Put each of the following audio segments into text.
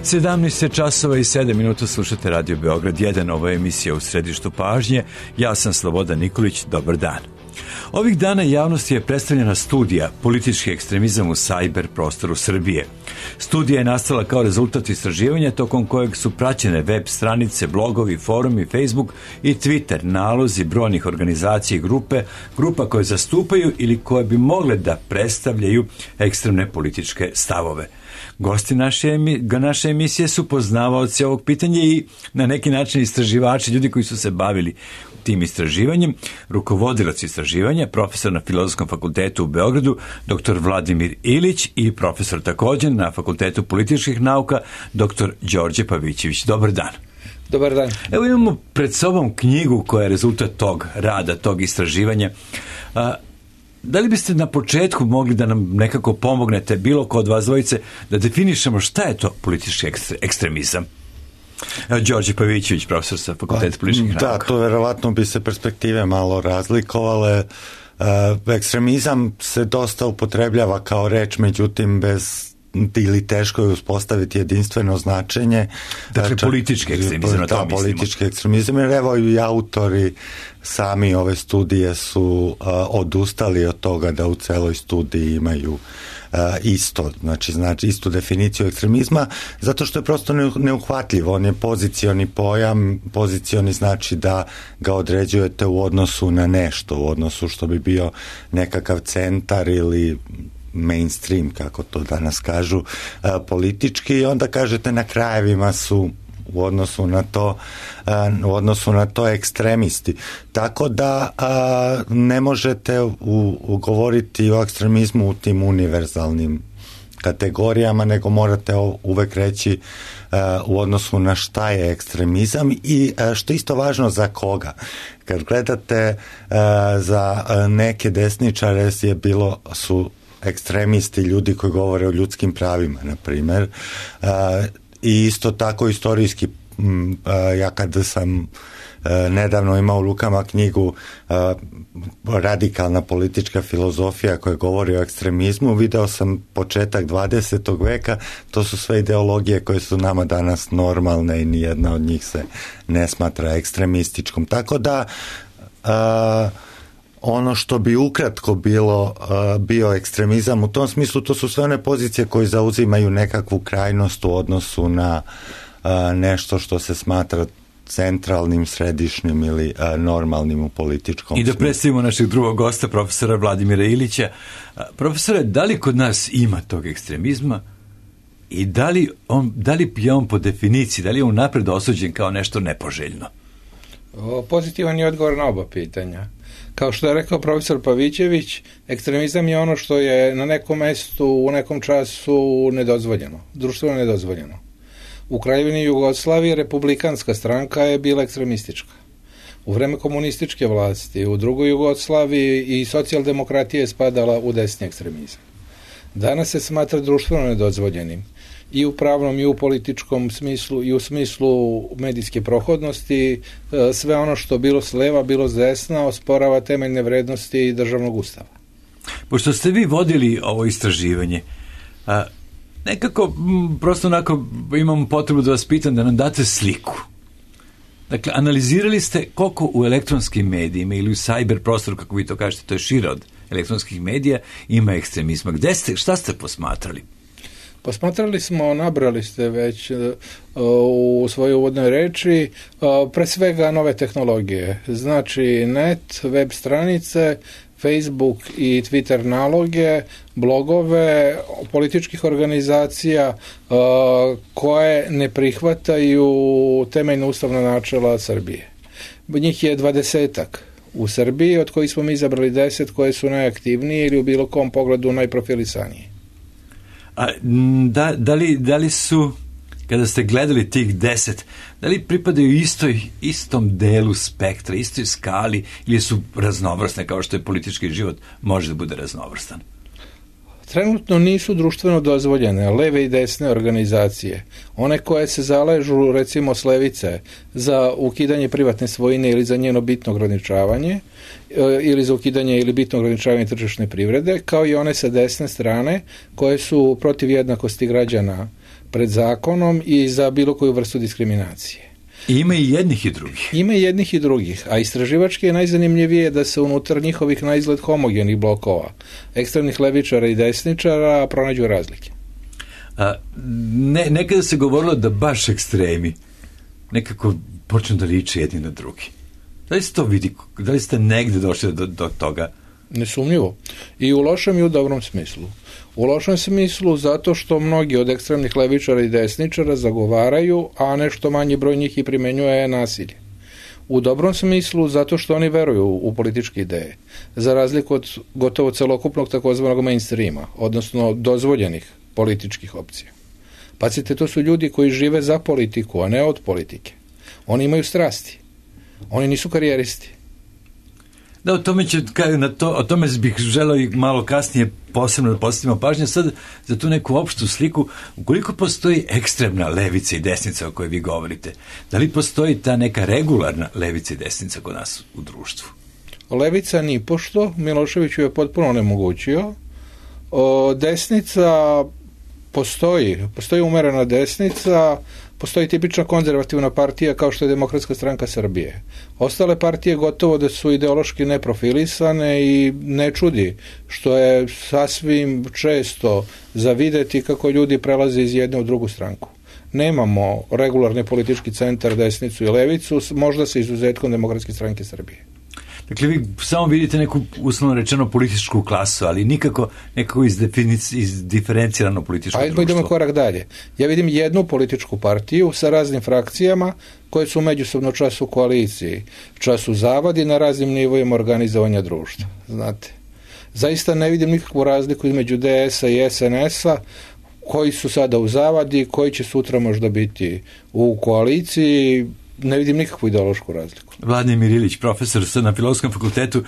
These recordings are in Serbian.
17 časova i 7 minuta slušate Radio Beograd 1, ova emisija u središtu pažnje. Ja sam Slobodan Nikolić, dobar dan. Ovih dana javnosti je predstavljena studija Politički ekstremizam u sajber prostoru Srbije. Studija je nastala kao rezultat istraživanja tokom kojeg su praćene web stranice, blogovi, forumi, Facebook i Twitter, nalozi brojnih organizacija i grupa koje zastupaju ili koje bi mogle da predstavljaju ekstremne političke stavove. Gosti naše emisije su poznavaoci ovog pitanja i na neki način istraživači, ljudi koji su se bavili tim istraživanjem, rukovodilac istraživanja, profesor na Filozofskom fakultetu u Beogradu, dr. Vladimir Ilić i profesor također na Fakultetu političkih nauka, dr. Đorđe Pavićević. Dobar dan. Dobar dan. Evo imamo pred sobom knjigu koja je rezultat tog rada, tog istraživanja. Da li biste na početku mogli da nam nekako pomognete, bilo ko od vas dvojice, da definišemo šta je to politički ekstremizam? Evo, Đorđe Pavićević, profesor sa Fakulteta političkih nauka. Da, to verovatno bi se perspektive malo razlikovale. Ekstremizam se dosta upotrebljava kao reč, međutim bez ili teško je uspostaviti jedinstveno značenje. Dakle, politički ekstremizam, na to mislimo. Politički ekstremizam, jer evo i autori sami ove studije su odustali od toga da u celoj studiji imaju isto, znači istu definiciju ekstremizma, zato što je prosto neuhvatljiv. On je pozicioni pojam, pozicioni znači da ga određujete u odnosu na nešto, u odnosu što bi bio nekakav centar ili mainstream, kako to danas kažu, politički, i onda kažete na krajevima su u odnosu na to ekstremisti. Tako da ne možete govoriti o ekstremizmu u tim univerzalnim kategorijama, nego morate uvek reći u odnosu na šta je ekstremizam i što je isto važno za koga. Kad gledate za neke desničare su ekstremisti ljudi koji govore o ljudskim pravima, na primer, i isto tako istorijski. Ja kada sam nedavno imao u rukama knjigu Radikalna politička filozofija koja govori o ekstremizmu, video sam početak 20. veka, to su sve ideologije koje su nama danas normalne i nijedna od njih se ne smatra ekstremističkom. Tako da ono što bi ukratko bio ekstremizam u tom smislu, to su sve one pozicije koje zauzimaju nekakvu krajnost u odnosu na nešto što se smatra centralnim, središnjim ili normalnim u političkom smislu. I da predstavimo našeg drugog gosta, profesora Vladimira Ilića. Profesore, da li kod nas ima tog ekstremizma i da li je on po definiciji, da li je on napred osuđen kao nešto nepoželjno? Pozitivan je odgovor na oba pitanja. Kao što je rekao profesor Pavićević, ekstremizam je ono što je na nekom mestu, u nekom času nedozvoljeno, društveno nedozvoljeno. U Kraljevini Jugoslavije republikanska stranka je bila ekstremistička. U vreme komunističke vlasti, u drugoj Jugoslaviji i socijaldemokratija je spadala u desni ekstremizam. Danas se smatra društveno nedozvoljenim i u pravnom i u političkom smislu i u smislu medijske prohodnosti, sve ono što bilo s leva, bilo s desna, osporava temeljne vrednosti državnog ustava. Pošto ste vi vodili ovo istraživanje, nekako, prosto onako imam potrebu da vas pitam da nam date sliku. Dakle, analizirali ste koliko u elektronskim medijima ili u cyber prostoru, kako vi to kažete, to je šire od elektronskih medija, ima ekstremizma. Šta ste posmatrali? Posmatrali smo, nabrali ste već u svojoj uvodnoj reči, pre svega nove tehnologije. Znači net, web stranice, Facebook i Twitter naloge, blogove političkih organizacija koje ne prihvataju temeljna ustavna načela Srbije. Njih je 20 u Srbiji, od kojih smo mi izabrali 10 koje su najaktivnije ili u bilo kom pogledu najprofilisanije. A da li su, kada ste gledali tih 10, da li pripadaju istom delu spektra, istoj skali, ili su raznovrsne, kao što je politički život može da bude raznovrstan? Trenutno nisu društveno dozvoljene leve i desne organizacije. One koje se zaležu, recimo s levice, za ukidanje privatne svojine ili za njeno bitno ograničavanje, ili za ukidanje ili bitno ograničavanje tržišne privrede, kao i one sa desne strane koje su protiv jednakosti građana pred zakonom i za bilo koju vrstu diskriminacije. I ima i jednih i drugih. Ima i jednih i drugih, a istraživački je najzanimljivije da se unutar njihovih na izgled homogenih blokova, ekstremnih levičara i desničara, pronađu razlike. Nekada se govorilo da baš ekstremi nekako počnu da liče jedni na drugi. Da li se to vidi? Da li ste negde došli do toga? Nesumnjivo. I u lošem i u dobrom smislu. U lošem smislu zato što mnogi od ekstremnih levičara i desničara zagovaraju, a nešto manji broj njih i primenjuje nasilje. U dobrom smislu zato što oni veruju u političke ideje, za razliku od gotovo celokupnog takozvanog mainstreama, odnosno dozvoljenih političkih opcija. Pazite, to su ljudi koji žive za politiku, a ne od politike. Oni imaju strasti. Oni nisu karijeristi. Da, o tome bih želeo i malo kasnije posebno da postavimo pažnju. Sad, za tu neku opštu sliku, ukoliko postoji ekstremna levica i desnica o kojoj vi govorite, da li postoji ta neka regularna levica i desnica kod nas u društvu? Levica nipošto, Milošević ju je potpuno onemogućio. Desnica postoji umerena desnica, postoji tipična konzervativna partija kao što je Demokratska stranka Srbije. Ostale partije gotovo da su ideološki neprofilisane i ne čudi što je sasvim često za videti kako ljudi prelaze iz jedne u drugu stranku. Nemamo regularni politički centar, desnicu i levicu, možda sa izuzetkom Demokratske stranke Srbije. Dakle, vi samo vidite neku, uslovno rečeno, političku klasu, ali nekako izdiferencirano političko društvo. Idemo korak dalje. Ja vidim jednu političku partiju sa raznim frakcijama koje su međusobno čas u koaliciji, čas u zavadi na raznim nivoima organizovanja društva. Znate, zaista ne vidim nikakvu razliku između DS-a i SNS-a, koji su sada u zavadi, koji će sutra možda biti u koaliciji. Ne vidim nikakvu ideološku razliku. Vladimir Ilić, profesor na Filozofskom fakultetu.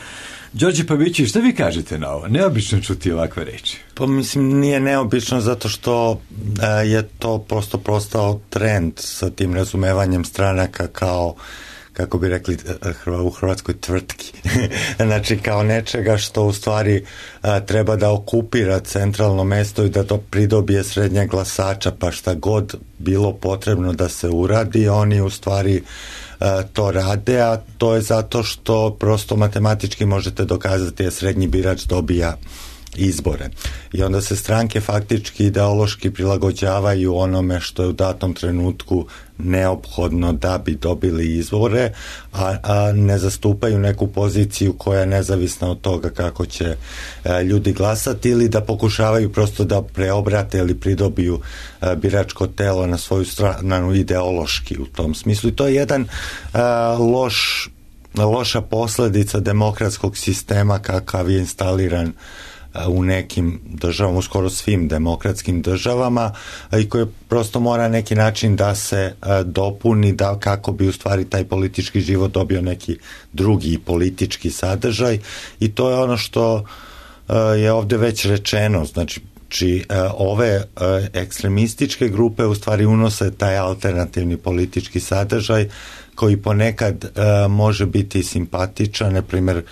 Đorđe Pavićević, šta vi kažete na ovo? Neobično čuti ovakve reči. Pa mislim, nije neobično zato što je to prosto postao trend sa tim razumevanjem stranaka kao, kako bi rekli u Hrvatskoj, tvrtki. Znači kao nečega što u stvari treba da okupira centralno mesto i da to pridobije srednje glasača, pa šta god bilo potrebno da se uradi, oni u stvari to rade, a to je zato što prosto matematički možete dokazati da srednji birač dobija izbore. I onda se stranke faktički ideološki prilagođavaju onome što je u datom trenutku neophodno da bi dobili izbore, a ne zastupaju neku poziciju koja je nezavisna od toga kako će ljudi glasati ili da pokušavaju prosto da preobrate ili pridobiju biračko telo na svoju stranu ideološki u tom smislu. I to je jedan loša posljedica demokratskog sistema kakav je instaliran u nekim državama, u skoro svim demokratskim državama, i koji prosto mora neki način da se dopuni da kako bi u stvari taj politički život dobio neki drugi politički sadržaj, i to je ono što je ovdje već rečeno. Znači ove ekstremističke grupe u stvari unose taj alternativni politički sadržaj koji ponekad može biti simpatičan. Na primjer,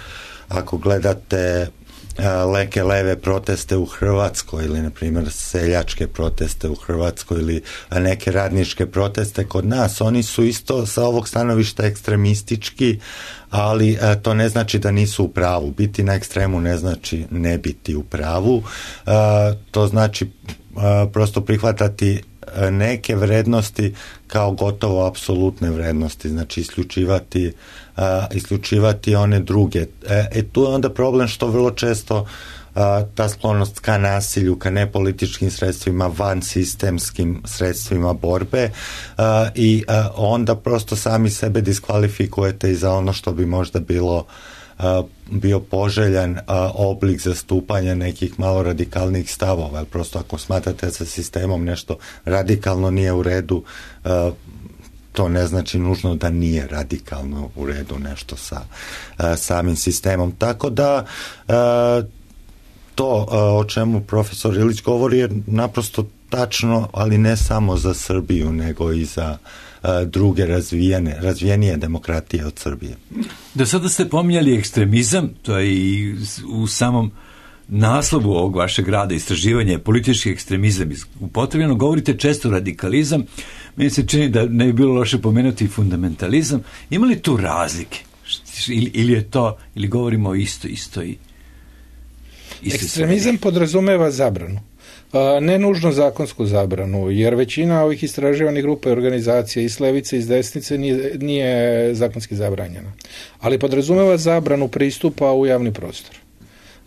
ako gledate neke leve proteste u Hrvatskoj ili na primjer seljačke proteste u Hrvatskoj ili neke radničke proteste kod nas, oni su isto sa ovog stanovišta ekstremistički, ali to ne znači da nisu u pravu. Biti na ekstremu ne znači ne biti u pravu. To znači prosto prihvatati neke vrednosti kao gotovo apsolutne vrednosti, znači isključivati one druge. Tu je onda problem što vrlo često ta sklonost ka nasilju, ka nepolitičkim sredstvima, van sistemskim sredstvima borbe, i onda prosto sami sebe diskvalifikujete i za ono što bi možda bio poželjan oblik zastupanja nekih malo radikalnih stavova. Prosto ako smatrate sa sistemom nešto radikalno nije u redu, to ne znači nužno da nije radikalno u redu nešto sa samim sistemom. Tako da to o čemu profesor Ilić govori je naprosto tačno, ali ne samo za Srbiju, nego i za druge razvijenije demokratije od Srbije. Do sada ste pominjali ekstremizam, to je i u samom naslovu ovog vašeg rada istraživanje je politički ekstremizam upotrebljeno, govorite često radikalizam, meni se čini da ne bi bilo loše pomenuti i fundamentalizam. Ima li tu razlike? Ili je to, ili govorimo o istoj ekstremizam podrazumeva zabranu. Ne nužno zakonsku zabranu, jer većina ovih istraživanih grupa i organizacija i s levice i s desnice nije zakonski zabranjena. Ali podrazumeva zabranu pristupa u javni prostor.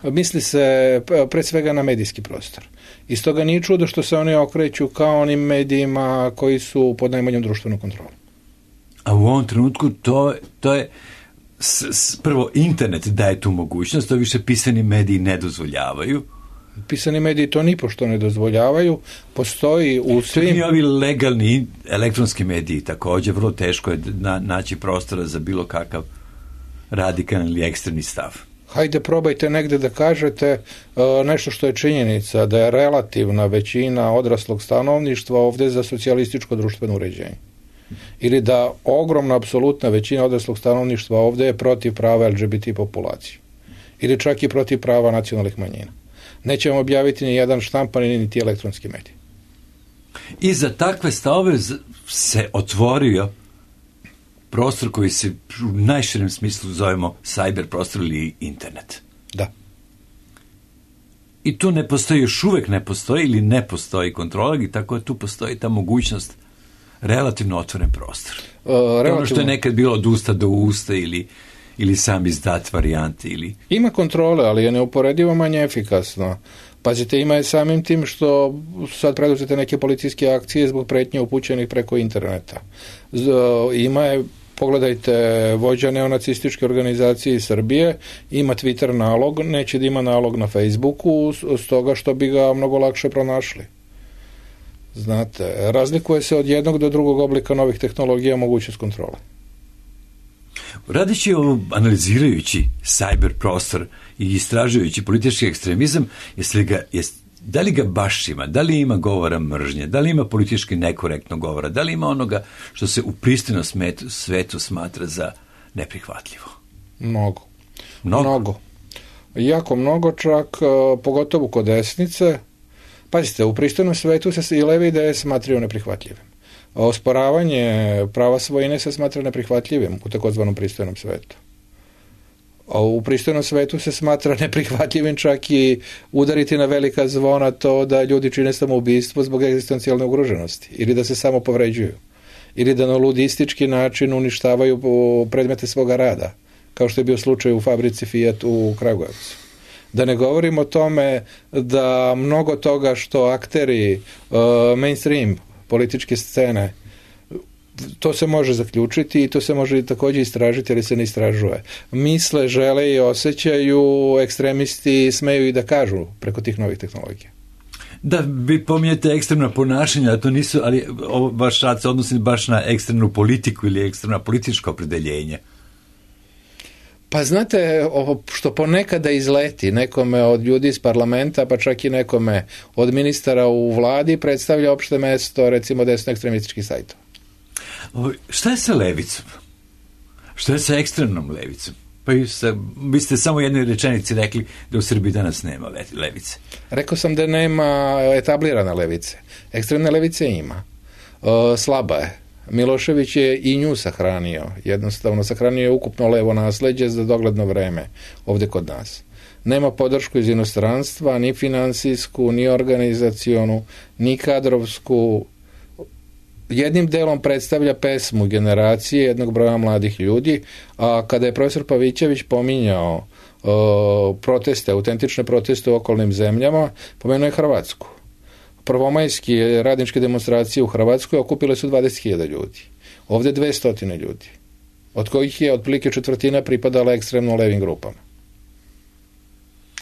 Misli se pre svega na medijski prostor. I stoga nije čudo što se oni okreću kao onim medijima koji su pod najmanjom društvenom kontrolom. A u ovom trenutku to je prvo internet daje tu mogućnost, to više pisani mediji ne dozvoljavaju. Pisani mediji to nipošto ne dozvoljavaju. Postoji u svim... I ovi legalni elektronski mediji također, vrlo teško je naći prostora za bilo kakav radikalni ili ekstremni stav. Hajde, probajte negde da kažete nešto što je činjenica, da je relativna većina odraslog stanovništva ovde za socijalističko društveno uređenje. Ili da ogromna, apsolutna većina odraslog stanovništva ovde je protiv prava LGBT populacije. Ili čak i protiv prava nacionalnih manjina. Nećemo objaviti ni jedan štampani niti elektronski medij. I za takve stavove se otvorio prostor koji se u najširem smislu zovemo cyber prostor ili internet. Da. I tu ne postoji, još uvek ne postoji ili ne postoji kontrola, i tako tu postoji ta mogućnost relativno otvoren prostor. Ono što je nekad bilo od usta do usta ili sam izdat varijante ili... Ima kontrole, ali je neuporedivo manje efikasno. Pazite, ima je samim tim što sad preduzete neke policijske akcije zbog pretnje upućenih preko interneta. Ima je, pogledajte, vođa neonacističke organizacije iz Srbije, ima Twitter nalog, neće da ima nalog na Facebooku, stoga što bi ga mnogo lakše pronašli. Znate, razlikuje se od jednog do drugog oblika novih tehnologija mogućnost kontrole. Radeći analizirajući cyber prostor i istražujući politički ekstremizam, da li ga baš ima, da li ima govora mržnje, da li ima politički nekorektno govora, da li ima onoga što se u pristojnom svetu smatra za neprihvatljivo? Mnogo. Jako mnogo, čak pogotovo kod desnice. Pazite, u pristojnom svetu se i levi ideje smatraju neprihvatljivim. Osporavanje prava svojine se smatra neprihvatljivim u takozvanom pristojnom svetu. A u pristojnom svetu se smatra neprihvatljivim čak i udariti na velika zvona to da ljudi čine samoubistvo zbog egzistencijalne ugroženosti ili da se samo povređuju ili da na ludistički način uništavaju predmete svoga rada, kao što je bio slučaj u fabrici Fiat u Kragujevcu. Da ne govorim o tome da mnogo toga što akteri mainstream političke scene, to se može zaključiti i to se može također istražiti, ali se ne istražuje. Misle, žele i osjećaju, ekstremisti smeju i da kažu preko tih novih tehnologija. Da, vi pominjete ekstremna ponašanja, to nisu, ali vaš rad se odnosi baš na ekstremnu politiku ili ekstremna političko opredeljenje. Pa znate, što ponekada izleti nekome od ljudi iz parlamenta, pa čak i nekome od ministara u vladi, predstavlja opšte mesto, recimo, desno ekstremističkih sajtova. Šta je sa levicom? Šta je sa ekstremnom levicom? Pa vi ste samo u jednoj rečenici rekli da u Srbiji danas nema levice. Rekao sam da nema etablirane levice. Ekstremne levice ima. Slaba je. Milošević je i nju sahranio. Jednostavno, sahranio je ukupno levo nasleđe za dogledno vreme ovde kod nas. Nema podršku iz inostranstva, ni finansijsku, ni organizacionu, ni kadrovsku. Jednim delom predstavlja pesmu generacije jednog broja mladih ljudi, a kada je profesor Pavićević pominjao proteste, autentične proteste u okolnim zemljama, pomenuo je Hrvatsku. Prvomajske radničke demonstracije u Hrvatskoj okupile su 20.000 ljudi. Ovde 200 ljudi, od kojih je otprilike četvrtina pripadala ekstremno levim grupama.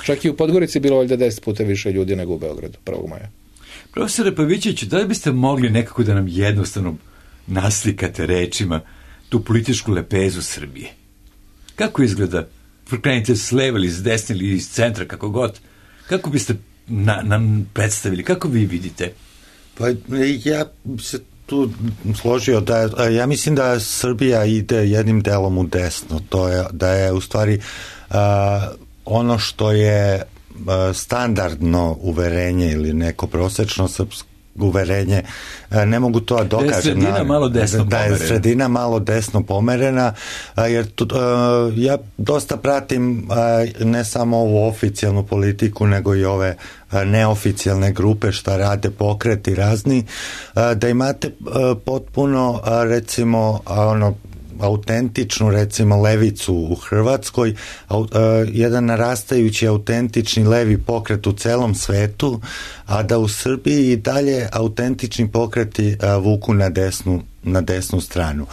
Čak i u Podgorici bilo valjda 10 puta više ljudi nego u Beogradu 1. maja. Profesore Pavićeviću, da li biste mogli nekako da nam jednostavno naslikate rečima tu političku lepezu Srbije? Kako izgleda? Krenite s leva ili s desne ili iz centra, kako god. Kako biste nam predstavili? Kako vi vidite? Pa ja se tu složio da ja mislim da Srbija ide jednim delom u desno. To je da je u stvari ono što je standardno uverenje ili neko prosečno srpsko uverenje, ne mogu to da dokažem. Da je sredina malo desno pomerena, jer ja dosta pratim ne samo ovu oficijalnu politiku, nego i ove neoficijalne grupe šta rade pokreti razni, da imate potpuno recimo autentičnu recimo levicu u Hrvatskoj, jedan narastajući autentični levi pokret u celom svetu, a da u Srbiji i dalje autentični pokreti vuku na desnu stranu.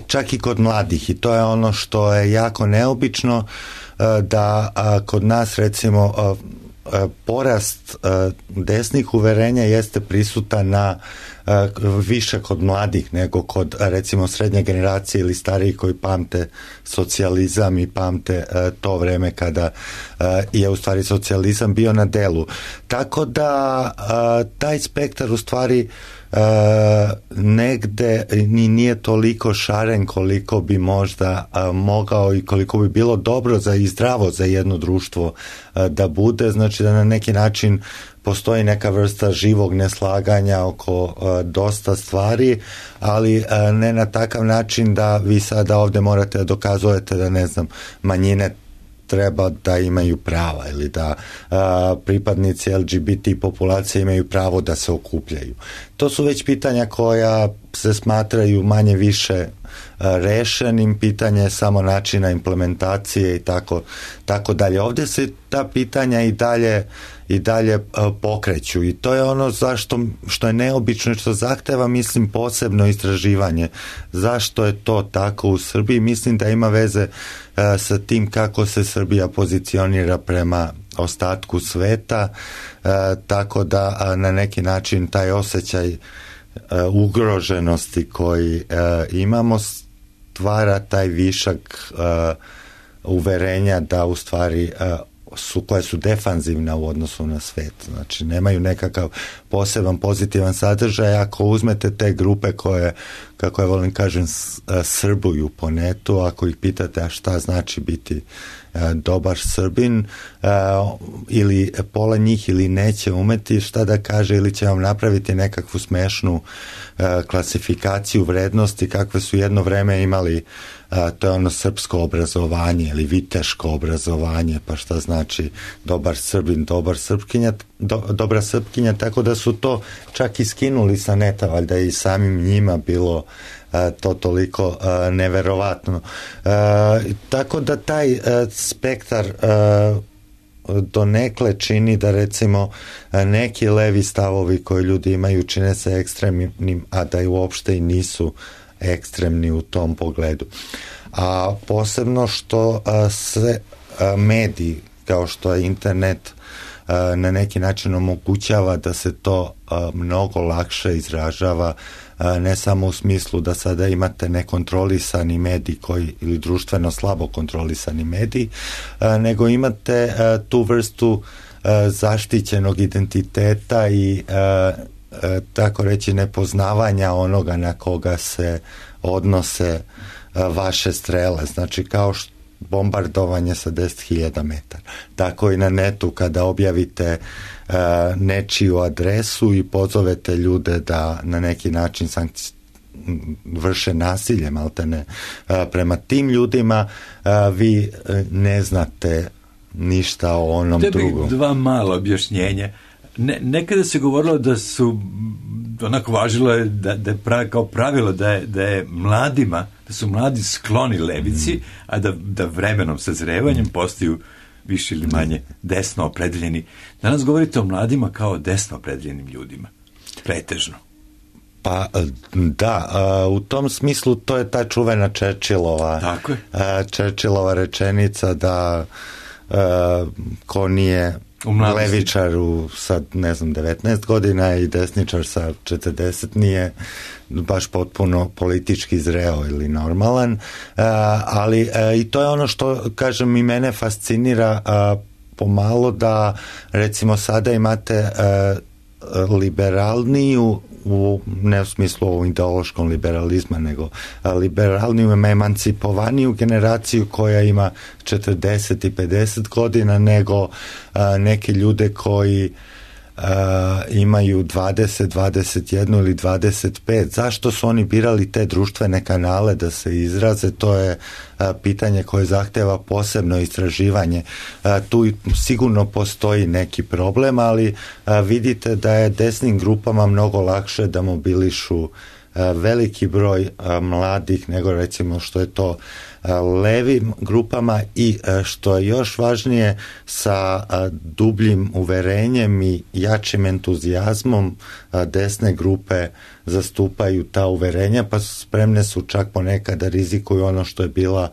Čak i kod mladih, i to je ono što je jako neobično, da kod nas recimo porast desnih uverenja jeste prisutan na više kod mladih nego kod recimo srednje generacije ili stariji koji pamte socijalizam i pamte to vreme kada je u stvari socijalizam bio na delu. Tako da taj spektar u stvari negde ni nije toliko šaren koliko bi možda mogao i koliko bi bilo dobro i zdravo za jedno društvo da bude, znači da na neki način postoji neka vrsta živog neslaganja oko dosta stvari, ali ne na takav način da vi sada ovde morate da dokazujete da, ne znam, manjine treba da imaju prava ili da pripadnici LGBT populacije imaju pravo da se okupljaju. To su već pitanja koja se smatraju manje više rešenim, pitanje je samo načina implementacije i tako dalje. Ovde se ta pitanja i dalje pokreću i to je ono što je neobično i što zahteva, mislim, posebno istraživanje. Zašto je to tako u Srbiji? Mislim da ima veze sa tim kako se Srbija pozicionira prema ostatku sveta, tako da na neki način taj osjećaj ugroženosti koji imamo stvara taj višak uverenja da u stvari koje su defanzivna u odnosu na svet. Znači, nemaju nekakav poseban pozitivan sadržaj. Ako uzmete te grupe koje, kako ja volim kažem, srbuju po netu, ako ih pitate a šta znači biti dobar Srbin, ili pola njih ili neće umeti šta da kaže ili će vam napraviti nekakvu smešnu klasifikaciju vrednosti kakve su jedno vreme imali, to je ono srpsko obrazovanje ili viteško obrazovanje, pa šta znači dobar Srbin, dobra Srpkinja, tako da su to čak i skinuli sa neta, valjda i samim njima bilo to toliko neverovatno. Tako da taj spektar donekle čini da recimo neki levi stavovi koji ljudi imaju čine se ekstremnim, a da i uopšte i nisu ekstremni u tom pogledu. A posebno što se mediji kao što je internet na neki način omogućava da se to mnogo lakše izražava, ne samo u smislu da sada imate nekontrolisani medij ili društveno slabo kontrolisani medij, nego imate tu vrstu zaštićenog identiteta i tako reći nepoznavanja onoga na koga se odnose vaše strele. Znači kao bombardovanje sa 10.000 metara. Tako i na netu kada objavite nečiju adresu i pozovete ljude da na neki način vrše nasilje maltene prema tim ljudima, vi ne znate ništa o onom drugom. Dva mala objašnjenja. Nekada se govorilo da su onako važilo je da je kao pravilo da je mladima, da su mladi skloni levici, a da vremenom sazrevanjem postaju više ili manje desno opredeljeni. Danas govorite o mladima kao desno opredeljenim ljudima. Pretežno. Pa da, u tom smislu to je ta čuvena Churchillova rečenica da ko nije levičar sad, ne znam, 19 godina i desničar sa 40 nije baš potpuno politički zreo ili normalan, ali i to je ono što, kažem, i mene fascinira pomalo da recimo sada imate liberalniju ne u smislu ideološkom liberalizma, nego liberalniju, emancipovaniju generaciju koja ima 40 i 50 godina, nego neke ljude koji imaju 20, 21 ili 25. Zašto su oni birali te društvene kanale da se izraze? To je pitanje koje zahteva posebno istraživanje. Tu sigurno postoji neki problem, ali vidite da je desnim grupama mnogo lakše da mobilišu veliki broj mladih nego recimo što je to levim grupama i što je još važnije sa dubljim uverenjem i jačim entuzijazmom desne grupe zastupaju ta uverenja, pa spremne su čak ponekad da rizikuju ono što je bila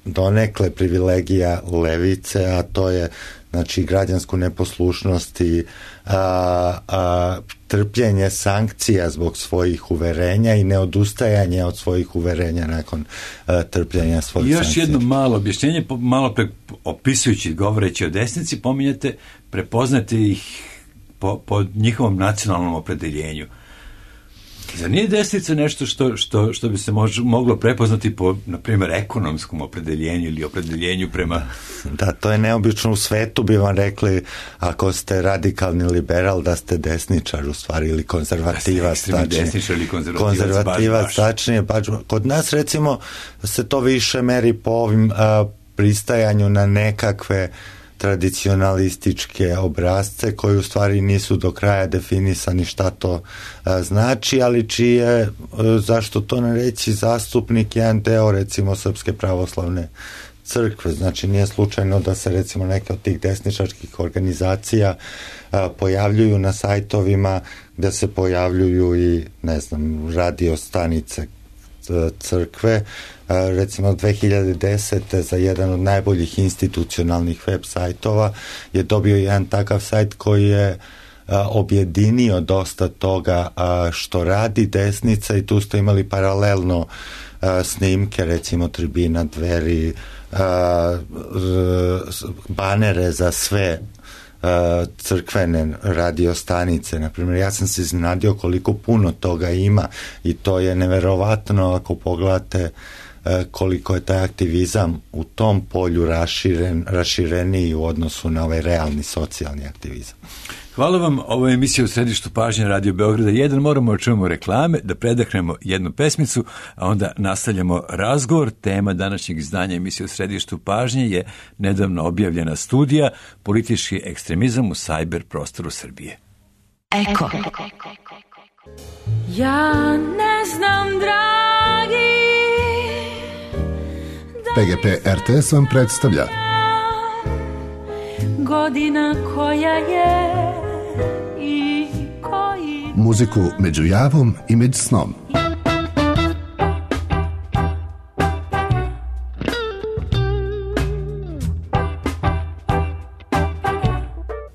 donekle privilegija levice, a to je znači građansku neposlušnost i trpljenje sankcija zbog svojih uverenja i neodustajanje od svojih uverenja nakon trpljenja svojih sankcija. Još jedno malo objašnjenje, malo opisujući, govoreći o desnici, pominjate, prepoznate ih po njihovom nacionalnom opredeljenju. Zar nije desnica nešto što bi se moglo prepoznati po, na primjer, ekonomskom opredeljenju ili opredeljenju prema... Da, to je neobično. U svetu bi vam rekli, ako ste radikalni liberal, da ste desničar u stvari, ili konzervativac. Desničar ili konzervativac, tačnije. Kod nas, recimo, se to više meri po ovim pristajanju na nekakve tradicionalističke obrazce koji u stvari nisu do kraja definisani šta to znači, ali čiji je, zašto to ne reći, zastupnik jedan deo recimo Srpske pravoslavne crkve. Znači nije slučajno da se recimo neke od tih desničarskih organizacija pojavljuju na sajtovima, da se pojavljuju i ne znam radio stanice crkve. Recimo 2010. za jedan od najboljih institucionalnih web sajtova je dobio jedan takav sajt koji je objedinio dosta toga što radi desnica i tu ste imali paralelno snimke recimo tribina Dveri, banere za sve crkvene radio stanice. Naprimjer, ja sam se iznenadio koliko puno toga ima i to je neverovatno ako pogledate koliko je taj aktivizam u tom polju rašireniji u odnosu na ovaj realni socijalni aktivizam. Hvala vam. Ovo je emisija u središtu pažnje Radio Beograda 1. Moramo čujemo reklame, da predahnemo jednu pesmicu, a onda nastavljamo razgovor. Tema današnjeg izdanja emisije u središtu pažnje je nedavno objavljena studija Politički ekstremizam u sajber prostoru Srbije. Eko. Ja ne znam, dragi, PGP RTS vam predstavlja godina koja je i koji muziku među javom i među snom.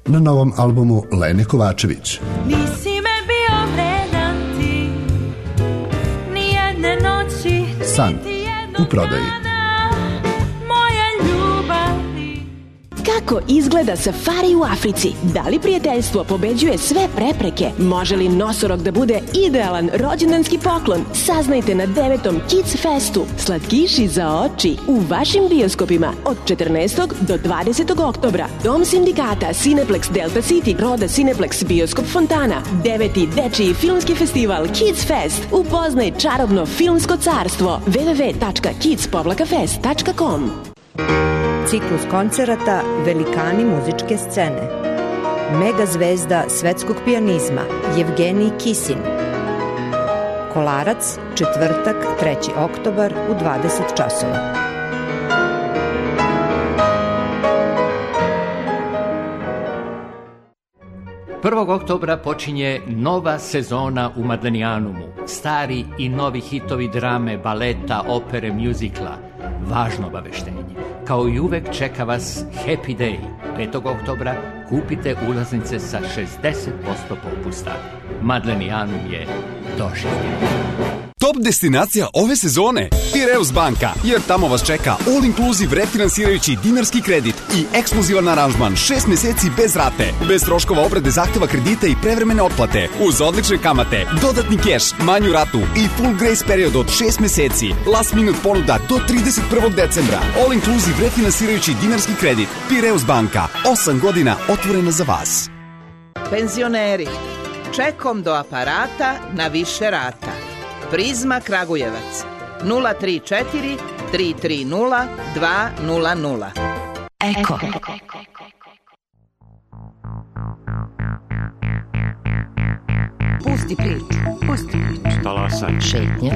Na novom albumu Lene Kovačević. Nisi me bio vredan ti, nijedne noći, San u prodaji. Kako izgleda safari u Africi? Da li prijateljstvo pobeđuje sve prepreke? Može li nosorog da bude idealan rođendanski poklon? Saznajte na 9. Kids Festu. Slatkiši za oči u vašim bioskopima od 14. do 20. oktobra. Dom sindikata, Cineplex Delta City, Roda Cineplex, Bioskop Fontana. 9. dečiji filmski festival Kids Fest. Upoznaj čarobno filmsko carstvo. www.kids-fest.com. Ciklus koncerata Velikani muzičke scene. Mega zvezda svetskog pijanizma Jevgenij Kisin. Kolarac, četvrtak, 3. oktobar u 20 časova. Prvog oktobra počinje nova sezona u Madlenijanumu. Stari i novi hitovi drame, baleta, opere, mjuzikla. Važno obaveštenje. Kao i uvek čeka vas Happy Day. 5. oktobra kupite ulaznice sa 60% popusta. Madlenijanum je doživljen. Top destinacija ove sezone Pireus banka, jer tamo vas čeka all inclusive refinansirajući dinarski kredit i ekskluzivan aranžman 6 meseci bez rate, bez troškova obrade zahteva kredita i prevremene otplate, uz odlične kamate, dodatni keš, manju ratu i full grace period od 6 meseci, last minute ponuda do 31. decembra, all inclusive refinansirajući dinarski kredit. Pireus banka, 8 godina otvorena za vas. Penzioneri, čekom do aparata na više rata. Prizma Kragujevac 034 330 200. Eko. Pusti priču. Pusti priču. Talasaj. Šetnje.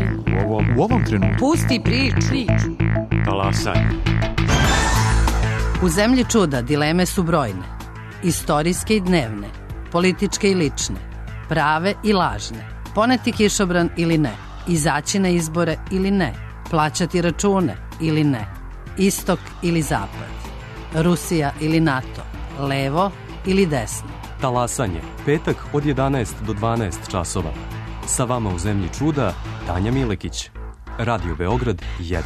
U ovom trenutku. Pusti priču. Talasaj. U zemlji čuda dileme su brojne. Istorijske i dnevne, političke i lične, prave i lažne. Poneti kišobran ili ne, izaći na izbore ili ne, plaćati račune ili ne, istok ili zapad, Rusija ili NATO, levo ili desno. Talasanje, petak od 11 do 12 časova. Sa vama u zemlji čuda, Tanja Milekić. Radio Beograd 1.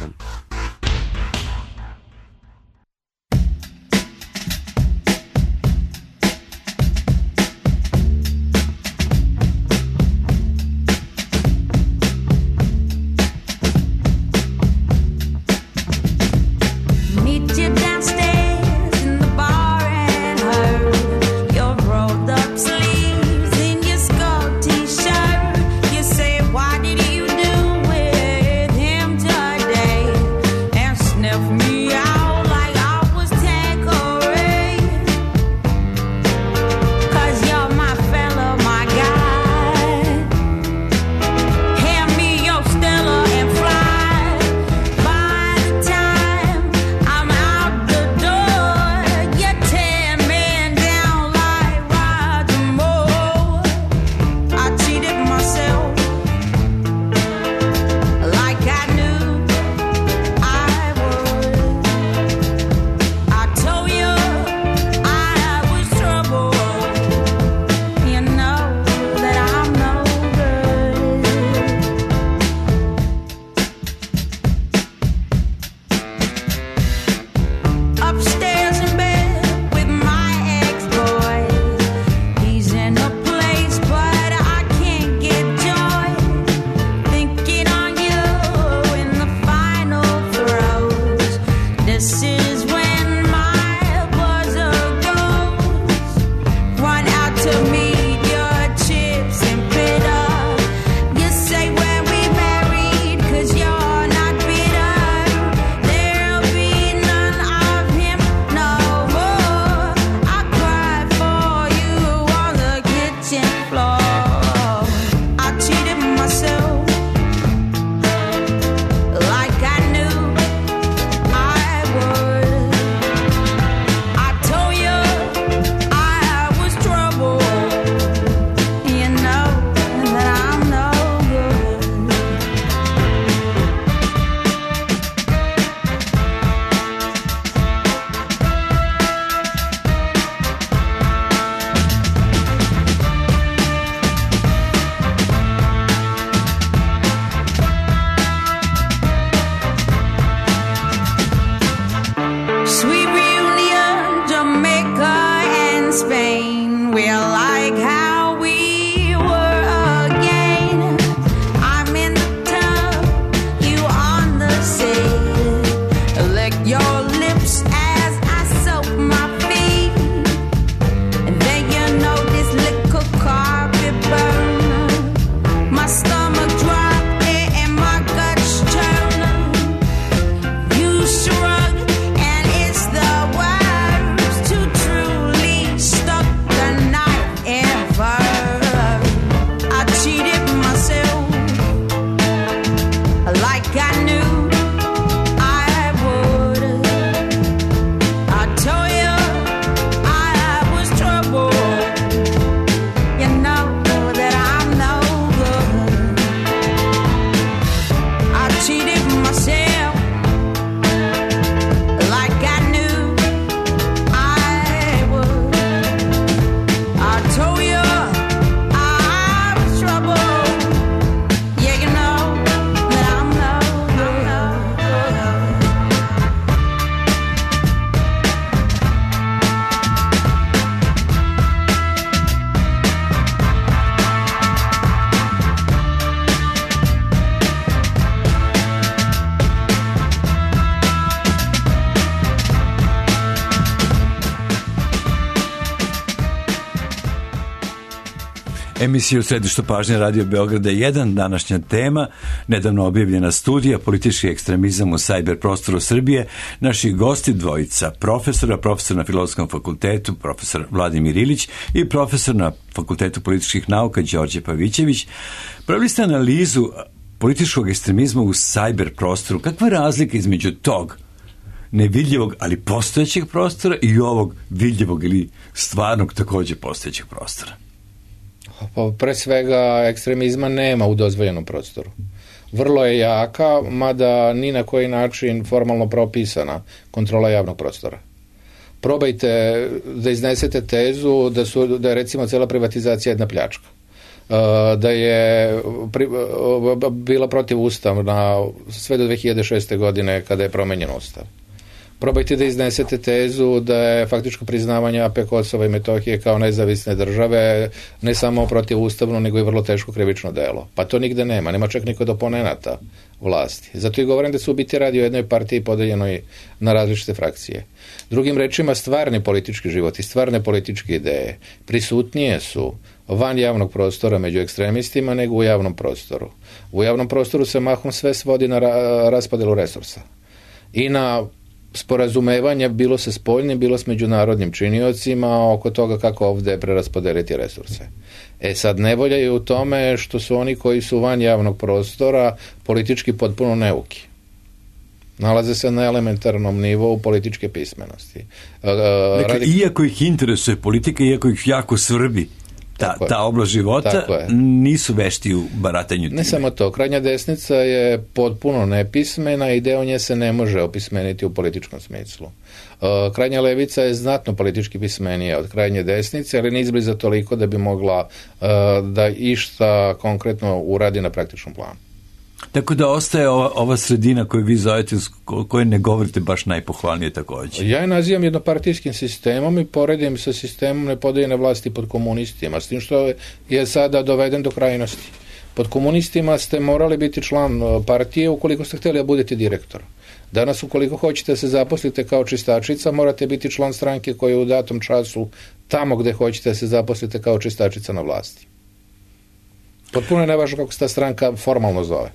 Emisija u središtu pažnje Radio Beograda 1, današnja tema, nedavno objavljena studija politički ekstremizam u sajber prostoru Srbije. Naši gosti dvojica, profesor na Filozofskom fakultetu, profesor Vladimir Ilić i profesor na Fakultetu političkih nauka Đorđe Pavićević. Pravili ste analizu političkog ekstremizma u sajber prostoru. Kakva je razlika između tog nevidljivog, ali postojećeg prostora i ovog vidljivog ili stvarnog također postojećeg prostora? Pa pre svega ekstremizma nema u dozvoljenom prostoru. Vrlo je jaka, mada ni na koji način formalno propisana kontrola javnog prostora. Probajte da iznesete tezu da je recimo cijela privatizacija jedna pljačka. Da je bila protivustavna sve do 2006. godine kada je promenjen ustav. Probajte da iznesete tezu da je faktičko priznavanje AP Kosova i Metohije kao nezavisne države ne samo protivustavno, nego i vrlo teško krivično delo. Pa to nigde nema čak ni kod oponenata vlasti. Zato i govorim da se u biti radi o jednoj partiji podeljenoj na različite frakcije. Drugim rečima, stvarni politički život i stvarne političke ideje prisutnije su van javnog prostora među ekstremistima nego u javnom prostoru. U javnom prostoru se mahom sve svodi na raspodelu resursa i na sporazumevanje bilo sa spoljnim, bilo s međunarodnim činiocima oko toga kako ovdje preraspodeliti resurse. Sad nevolja je u tome što su oni koji su van javnog prostora politički potpuno neuki. Nalaze se na elementarnom nivou političke pismenosti. Dakle, iako ih interesuje politika, iako ih jako svrbi ta oblast života, nisu vešti u baratanju time. Ne samo to, krajnja desnica je potpuno nepismena i deo nje se ne može opismeniti u političkom smislu. Krajnja levica je znatno politički pismenija od krajnje desnice, ali ne izbliza toliko da bi mogla da išta konkretno uradi na praktičnom planu. Tako da ostaje ova sredina koju vi zovete, koju ne govorite baš najpohvalnije također. Ja je nazivam jednopartijskim sistemom i poredim sa sistemom nepodeljene vlasti pod komunistima, s tim što je sada doveden do krajnosti. Pod komunistima ste morali biti član partije ukoliko ste htjeli da budete direktor. Danas ukoliko hoćete da se zaposlite kao čistačica, morate biti član stranke koja je u datom času tamo gde hoćete da se zaposlite kao čistačica na vlasti. Potpuno je nevažno kako se ta stranka formalno zove.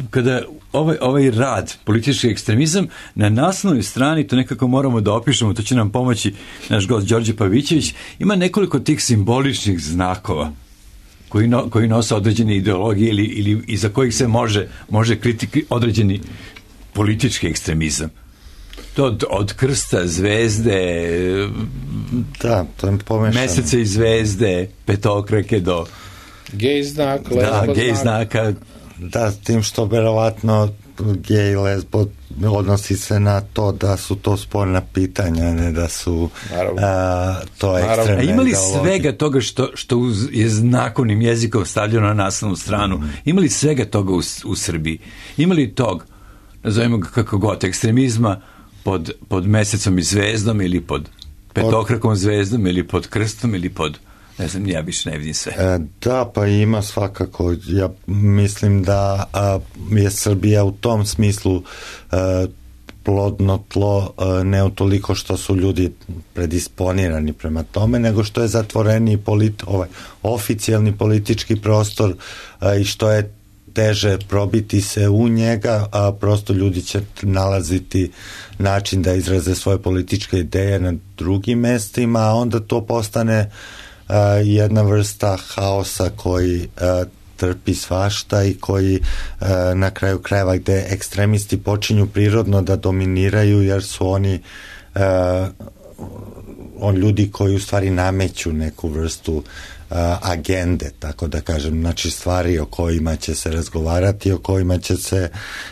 Kada ovaj rad, politički ekstremizam, na naslovnoj strani, to nekako moramo da opišemo, to će nam pomoći naš gost Đorđe Pavićević, ima nekoliko tih simboličnih znakova koji nose određene ideologije ili iza kojih se može kriti određeni politički ekstremizam. To od krsta, zvezde, mesece i zvezde, petokrake do gej znak, gej znaka. Da, tim što verovatno gej lesbo odnosi se na to da su to sporna pitanja, ne da su to ekstremne. A ima li svega toga što je znakovnim jezikom stavljeno na naslovnu stranu? Ima li svega toga u Srbiji? Ima li tog, nazovimo ga kako god, ekstremizma pod mesecom i zvezdom ili pod petokrakom zvezdom ili pod krstom ili pod... Ne znam, ja više ne vidim sve. Da, pa ima svakako. Ja mislim da je Srbija u tom smislu plodno tlo, ne utoliko što su ljudi predisponirani prema tome, nego što je zatvoreni oficijalni politički prostor i što je teže probiti se u njega, a prosto ljudi će nalaziti način da izraze svoje političke ideje na drugim mestima, a onda to postane jedna vrsta haosa koji trpi svašta i koji na kraju krajeva gde ekstremisti počinju prirodno da dominiraju jer su oni ljudi koji u stvari nameću neku vrstu agende, tako da kažem, znači stvari o kojima će se razgovarati, o kojima će se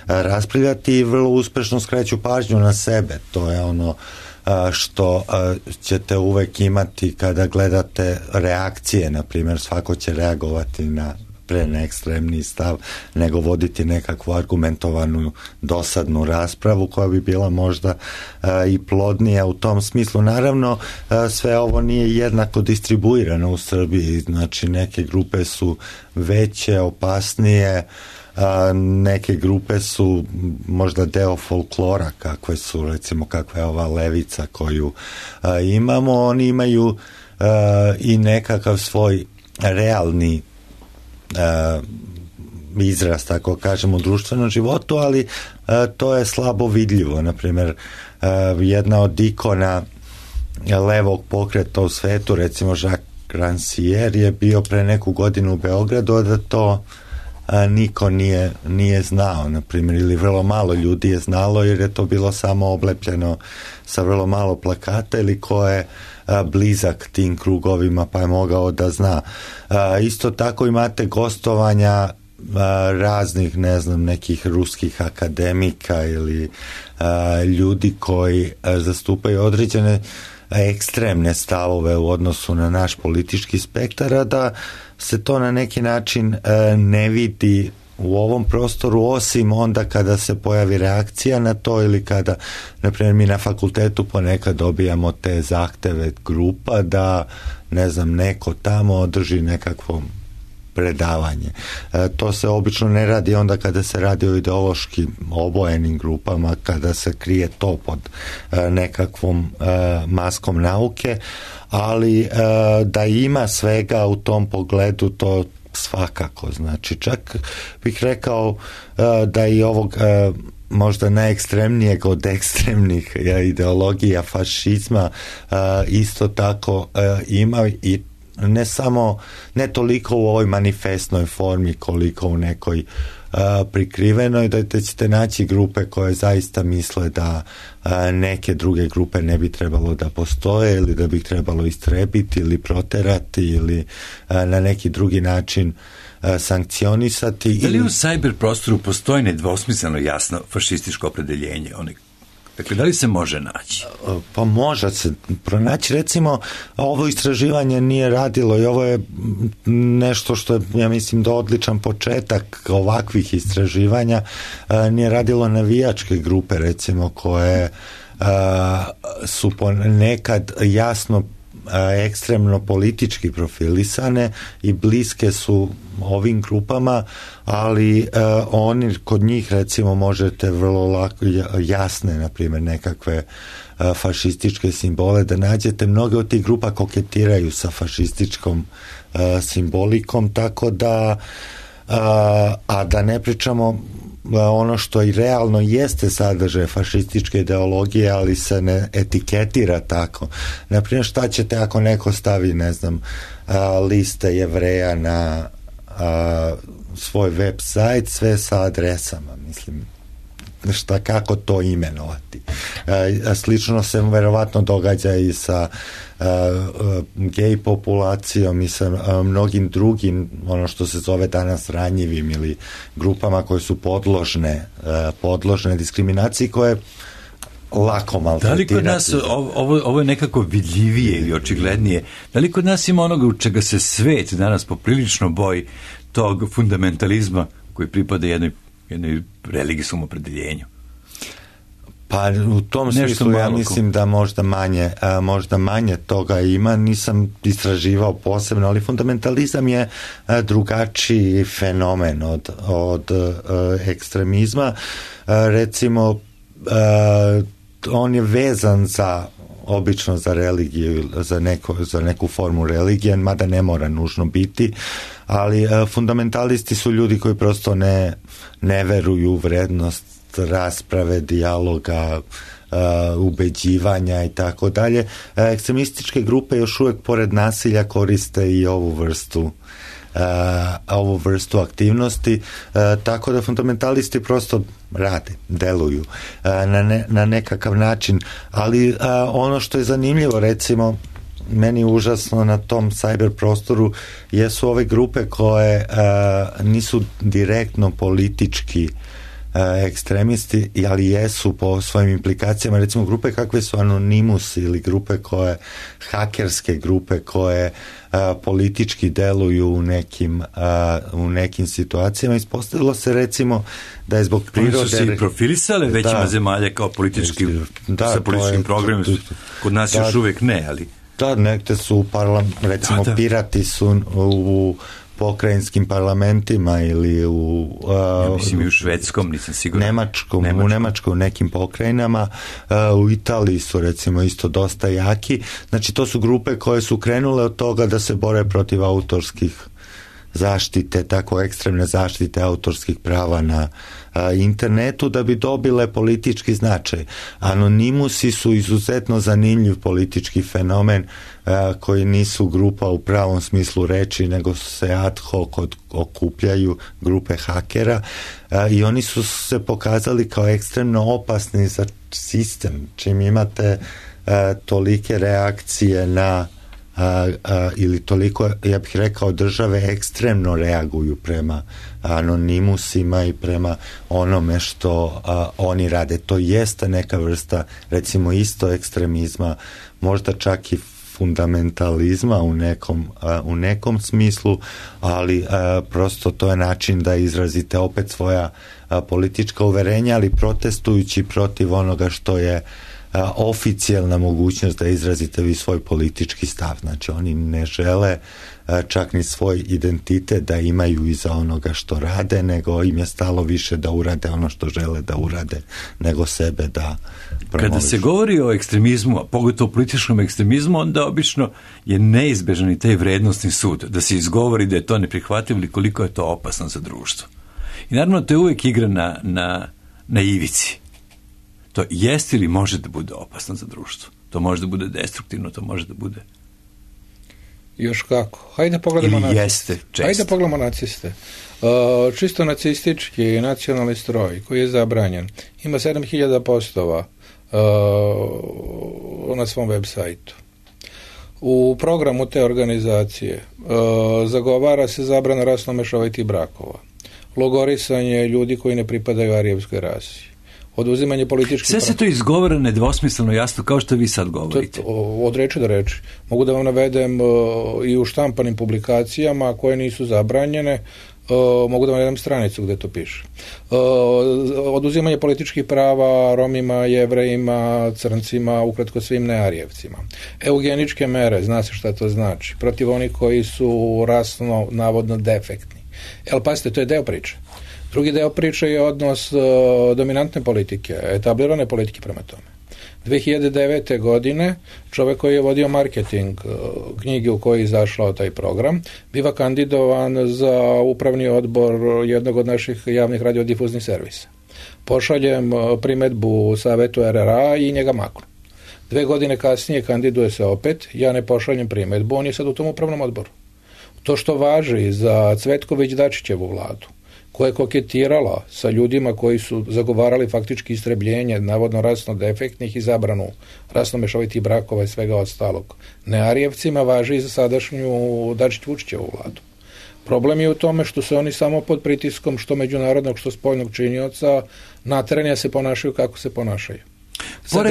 raspravljati i vrlo uspešno skreću pažnju na sebe. To je ono što ćete uvek imati kada gledate reakcije, na primjer svako će reagovati na pre neekstremni stav nego voditi nekakvu argumentovanu dosadnu raspravu koja bi bila možda i plodnija u tom smislu. Naravno, sve ovo nije jednako distribuirano u Srbiji, znači neke grupe su veće, opasnije, neke grupe su možda deo folklora kakve su, recimo kakva je ova levica koju imamo, oni imaju i nekakav svoj realni izraz, tako kažemo, u društvenom životu, ali to je slabo vidljivo. Naprimjer, jedna od ikona levog pokreta u svetu, recimo Jacques Rancière, je bio pre neku godinu u Beogradu, da to niko nije znao, na primjer, ili vrlo malo ljudi je znalo, jer je to bilo samo oblepljeno sa vrlo malo plakata, ili ko je blizak tim krugovima pa je mogao da zna. Isto tako imate gostovanja raznih, ne znam, nekih ruskih akademika ili ljudi koji zastupaju određene ekstremne stavove u odnosu na naš politički spektar, da se to na neki način ne vidi u ovom prostoru, osim onda kada se pojavi reakcija na to, ili kada, na primjer, mi na fakultetu ponekad dobijamo te zahteve grupa da, ne znam, neko tamo održi nekakvo predavanje. To se obično ne radi onda kada se radi o ideološki obojenim grupama, kada se krije to pod nekakvom maskom nauke, ali da ima svega u tom pogledu, to svakako. Znači, čak bih rekao da i ovog možda najekstremnijeg od ekstremnih ideologija fašizma isto tako ima, i ne toliko u ovoj manifestnoj formi koliko u nekoj prikrivenoj, da ćete naći grupe koje zaista misle da neke druge grupe ne bi trebalo da postoje, ili da bi ih trebalo istrebiti ili proterati ili na neki drugi način sankcionisati. Da li u cyber prostoru postoji nedvosmisleno jasno fašističko opredeljenje? Dakle, da li se može naći? Pa može se pronaći. Recimo, ovo istraživanje nije radilo, i ovo je nešto što je, ja mislim, da odličan početak ovakvih istraživanja, nije radilo navijačke grupe, recimo, koje su nekad jasno ekstremno politički profilisane i bliske su ovim grupama, ali oni, kod njih recimo možete vrlo lako jasne, na primjer, nekakve fašističke simbole da nađete. Mnoge od tih grupa koketiraju sa fašističkom simbolikom, tako da a da ne pričamo ono što i realno jeste sadržaj fašističke ideologije, ali se ne etiketira tako. Naprimjer, šta ćete ako neko stavi, ne znam, liste Jevreja na svoj web sajt, sve sa adresama, mislim, kako to imenovati. Slično se verovatno događa i sa gej populacijom i sa mnogim drugim, ono što se zove danas ranjivim, ili grupama koje su podložne diskriminaciji, koje lako maltretirati. Da li kod nas, ovo je nekako vidljivije ili očiglednije, da li kod nas ima onoga u čega se svet danas poprilično boji, tog fundamentalizma koji pripada jednoj religijskom opredeljenju? Pa u tom smislu ja mislim da možda manje toga ima, nisam istraživao posebno, ali fundamentalizam je drugačiji fenomen od ekstremizma. Recimo, on je vezan obično za religiju, za neku formu religije, mada ne mora nužno biti, ali fundamentalisti su ljudi koji prosto ne veruju u vrednost rasprave, dijaloga, ubeđivanja i tako dalje. Ekstremističke grupe još uvijek pored nasilja koriste i ovu vrstu aktivnosti, tako da fundamentalisti prosto rade, deluju na nekakav način, ali ono što je zanimljivo, recimo, meni užasno na tom cyber prostoru jesu ove grupe koje nisu direktno politički ekstremisti, ali jesu po svojim implikacijama, recimo grupe kakve su Anonymous ili grupe hakerske grupe koje politički deluju u nekim situacijama. Ispostavilo se recimo da je zbog prirode... Oni su se i profilisale većima zemalja kao politički, sa političkim programima. Kod nas još uvijek ne, ali... Da, nekde su, recimo pirati su u pokrajinskim parlamentima ili ja mislim i u švedskom, nisam siguran. U Nemačkoj u nekim pokrajinama, u Italiji su recimo isto dosta jaki. Znači to su grupe koje su krenule od toga da se bore protiv autorskih zaštite, tako ekstremne zaštite autorskih prava na internetu da bi dobile politički značaj. Anonimusi su izuzetno zanimljiv politički fenomen koji nisu grupa u pravom smislu reči, nego se ad hoc okupljaju grupe hakera i oni su se pokazali kao ekstremno opasni za sistem. Čim imate tolike reakcije na ili toliko, ja bih rekao, države ekstremno reaguju prema anonimusima i prema onome što oni rade. To jeste neka vrsta, recimo, isto ekstremizma, možda čak i fundamentalizma u nekom smislu, ali prosto to je način da izrazite opet svoja politička uverenja, ali protestujući protiv onoga što je oficijalna mogućnost da izrazite vi svoj politički stav. Znači oni ne žele čak ni svoj identitet da imaju iza onoga što rade, nego im je stalo više da urade ono što žele da urade, nego sebe da promovišu. Kada se govori o ekstremizmu, a pogotovo političkom ekstremizmu, onda obično je neizbežan i taj vrednostni sud, da se izgovori da je to neprihvatljivo ili koliko je to opasno za društvo. I naravno to je uvijek igra na ivici. To jeste ili može da bude opasno za društvo. To može da bude destruktivno, to može da bude... Još kako. Hajde pogledamo ili jeste često. Hajde pogledamo naciste. Čisto nacistički nacionalni stroj koji je zabranjen ima 7000 postova na svom web sajtu. U programu te organizacije zagovara se zabrana rasno mešovitih brakova, logorisanje ljudi koji ne pripadaju arijevskoj rasi, oduzimanje političkih... Sve se to izgovara nedvosmisleno jasno, kao što vi sad govorite. Od reči do reči. Mogu da vam navedem i u štampanim publikacijama koje nisu zabranjene, mogu da vam navedem stranicu gdje to piše. Oduzimanje političkih prava Romima, Jevrejima, Crncima, ukratko svim nearijevcima. Eugeničke mere, zna se šta to znači, protiv onih koji su rasno navodno defektni. Ali pazite, to je deo priče. Drugi deo priče je odnos dominantne politike, etablirane politike prema tome. 2009. godine čovjek koji je vodio marketing knjige u kojoj je izašao taj program biva kandidovan za upravni odbor jednog od naših javnih radiodifuznih servisa. Pošaljem primedbu Savetu RRA i njega maknu. 2 godine kasnije kandiduje se opet, ja ne pošaljem primedbu, on je sad u tom upravnom odboru. To što važi za Cvetković-Dačićevu vladu, koja je koketirala sa ljudima koji su zagovarali faktički istrebljenje navodno rasno defektnih i zabranu rasno mešovitih brakova i svega ostalog nearijevcima, važi i za sadašnju Dačić-Vučićevu vladu. Problem je u tome što se oni samo pod pritiskom što međunarodnog, što spoljnog činioca nateranja se ponašaju kako se ponašaju. Samo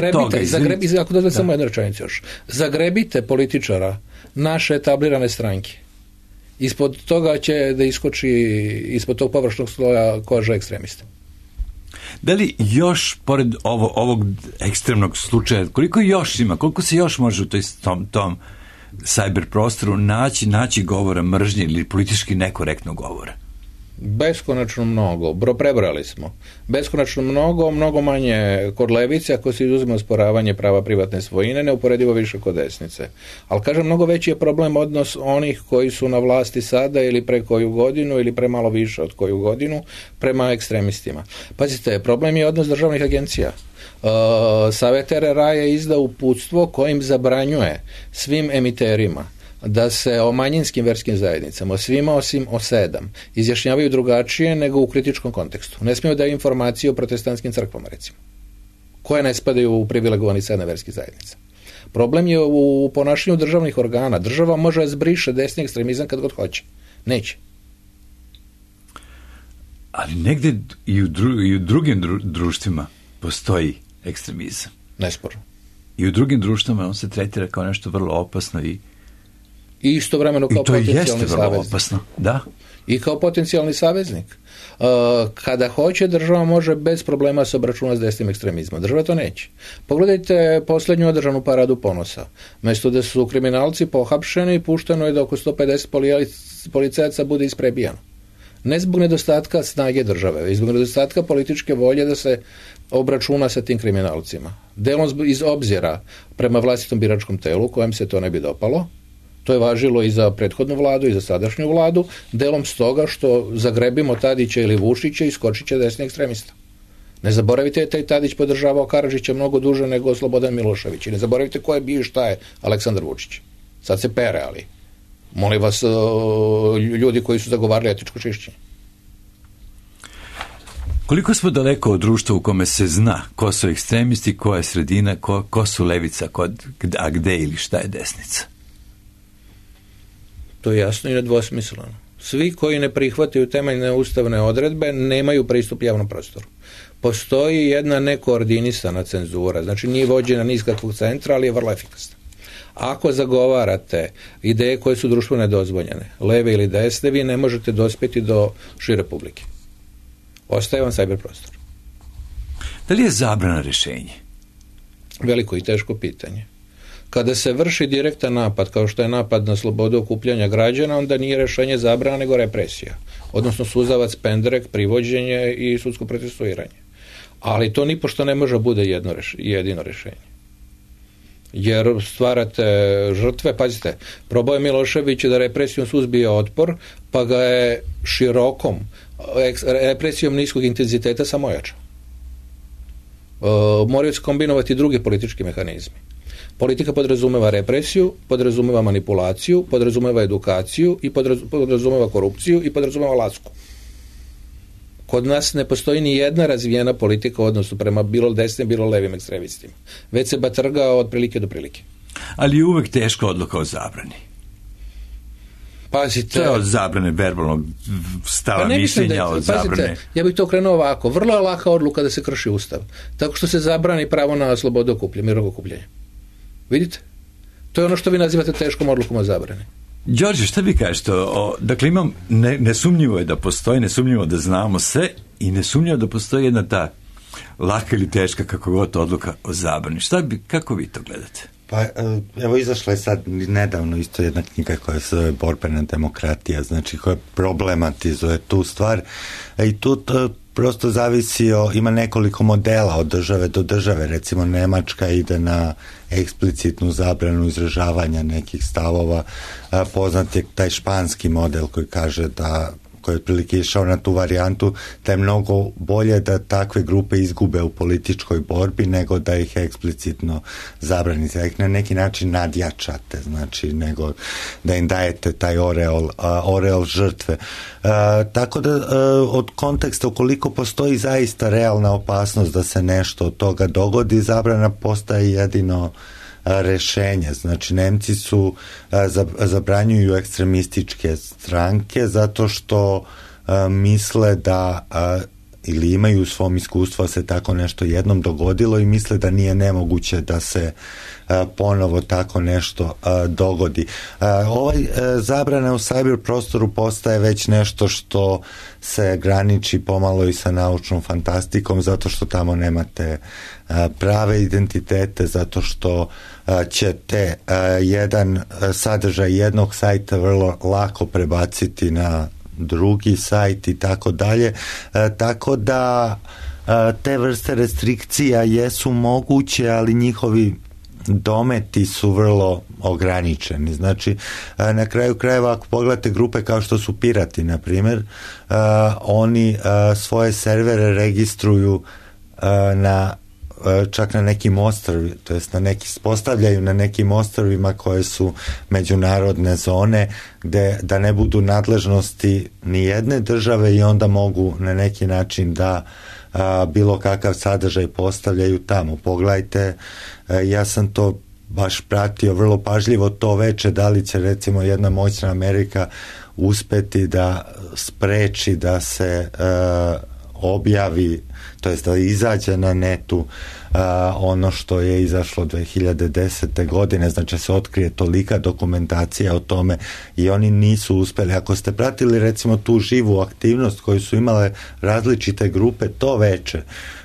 jednu rečenicu još. Zagrebite političara naše etablirane stranke. Ispod toga će da iskoči, ispod tog površnog sloja koža ekstremista. Da li još, pored ovog ekstremnog slučaja, koliko još ima, koliko se još može u tom cyber prostoru naći govora mržnje ili politički nekorektnog govora? Beskonačno mnogo, prebrali smo. Beskonačno mnogo manje kod levice, ako se izuzima osporavanje prava privatne svojine, neuporedivo više kod desnice. Ali kažem, mnogo veći je problem odnos onih koji su na vlasti sada ili pre koju godinu ili pre malo više od koju godinu prema ekstremistima. Pazite, problem je odnos državnih agencija. Savet RRA je izdao uputstvo kojim zabranjuje svim emiterima da se o manjinskim verskim zajednicama, o svima osim o 7, izjašnjavaju drugačije nego u kritičkom kontekstu. Ne smiju daju informacije o protestantskim crkvama, recimo, koje ne spadaju u privilegovani 7 verskih zajednica. Problem je u ponašanju državnih organa. Država može zbriše desni ekstremizam kad god hoće. Neće. Ali negdje i u drugim društvima postoji ekstremizam. Nesporno. I u drugim društvima on se tretira kao nešto vrlo opasno i I istovremeno kao potencijalni saveznik. Opasno, da. I kao potencijalni saveznik. Kada hoće, država može bez problema se obračunati s desnim ekstremizmom. Država to neće. Pogledajte posljednju održanu paradu ponosa. Mjesto da su kriminalci pohapšeni, pušteno je da oko 150 policajaca bude isprebijano. Ne zbog nedostatka snage države, već zbog nedostatka političke volje da se obračuna sa tim kriminalcima. Delom iz obzira prema vlastitom biračkom telu, kojem se to ne bi dopalo. To je važilo i za prethodnu vladu i za sadašnju vladu, delom stoga što zagrebimo Tadića ili Vučića i skočit će desni ekstremista. Ne zaboravite, taj Tadić podržavao Karadžića mnogo duže nego Slobodan Milošević. I ne zaboravite ko je bio i šta je Aleksandar Vučić. Sad se pere, ali molim vas, ljudi koji su zagovarali etičko čišćenje. Koliko smo daleko od društva u kome se zna ko su ekstremisti, ko je sredina, ko su levica, a gde ili šta je desnica? To je jasno i nedvosmisleno. Svi koji ne prihvataju temeljne ustavne odredbe nemaju pristup javnom prostoru. Postoji jedna nekoordinisana cenzura, znači nije vođena ni iz kakvog centra, ali je vrlo efikasna. Ako zagovarate ideje koje su društveno nedozvoljene, leve ili desne, vi ne možete dospjeti do šire publike. Ostaje vam cyber prostor. Da li je zabrana rješenje? Veliko i teško pitanje. Kada se vrši direktan napad, kao što je napad na slobodu okupljanja građana, onda nije rješenje zabrana, nego represija. Odnosno suzavac, pendrek, privođenje i sudsko procesuiranje. Ali to nipošto ne može bude jedino rješenje. Jer stvarate žrtve, pazite, probao je Milošević da represijom suzbije otpor, pa ga je širokom represijom niskog intenziteta samo ojačao. Moraju se kombinovati drugi politički mehanizmi. Politika podrazumeva represiju, podrazumeva manipulaciju, podrazumeva edukaciju i podrazumeva korupciju i podrazumeva lasku. Kod nas ne postoji ni jedna razvijena politika u odnosu prema bilo desnim, bilo levim ekstremistima. Već se batrga od prilike do prilike. Ali je uvek teška odluka o zabrani. Pazite, to je od zabrane verbalnog stava mišljenja, od zabrane. Ja bih to krenuo ovako. Vrlo je laka odluka da se krši ustav. Tako što se zabrani pravo na slobodu okupljanja, mirnog okupljanja. Vidite? To je ono što vi nazivate teškom odlukom o zabrani. Đorđe, šta vi kažete? Dakle, nesumnjivo je da postoji, nesumnjivo da znamo sve i nesumnjivo da postoji jedna ta laka ili teška, kako god, odluka o zabrani. Kako vi to gledate? Pa, evo, izašla je sad nedavno isto jedna knjiga koja se zove Borbena demokratija, znači koja problematizuje tu stvar i tu prosto ima nekoliko modela od države do države, recimo Nemačka ide na eksplicitnu zabranu izražavanja nekih stavova, poznat je taj španski model koji kaže da, koji je otprilike išao na tu varijantu, da je mnogo bolje da takve grupe izgube u političkoj borbi nego da ih eksplicitno zabranite, da ih na neki način nadjačate, znači nego da im dajete taj oreol žrtve. Tako da od konteksta ukoliko postoji zaista realna opasnost da se nešto od toga dogodi, zabrana postaje jedino rešenje. Znači, Nemci zabranjuju ekstremističke stranke zato što misle da ili imaju u svom iskustvu da se tako nešto jednom dogodilo i misle da nije nemoguće da se ponovo tako nešto dogodi. Zabrana u cyber prostoru postaje već nešto što se graniči pomalo i sa naučnom fantastikom, zato što tamo nemate prave identitete, zato što ćete jedan sadržaj jednog sajta vrlo lako prebaciti na drugi sajt i tako dalje. Tako da te vrste restrikcija jesu moguće, ali njihovi dometi su vrlo ograničeni. Znači, na kraju krajeva, ako pogledate grupe kao što su pirati, na primjer, oni svoje servere registruju čak na nekim ostrvima, to jest postavljaju na nekim ostrvima koje su međunarodne zone, gde da ne budu nadležnosti ni jedne države i onda mogu na neki način da bilo kakav sadržaj postavljaju tamo. Pogledajte, ja sam to baš pratio vrlo pažljivo to veče, da li će recimo jedna moćna Amerika uspeti da spreči da se objavi, to jest da izađe na netu ono što je izašlo 2010. godine, znači se otkrije tolika dokumentacija o tome i oni nisu uspeli. Ako ste pratili recimo tu živu aktivnost koju su imale različite grupe to veče,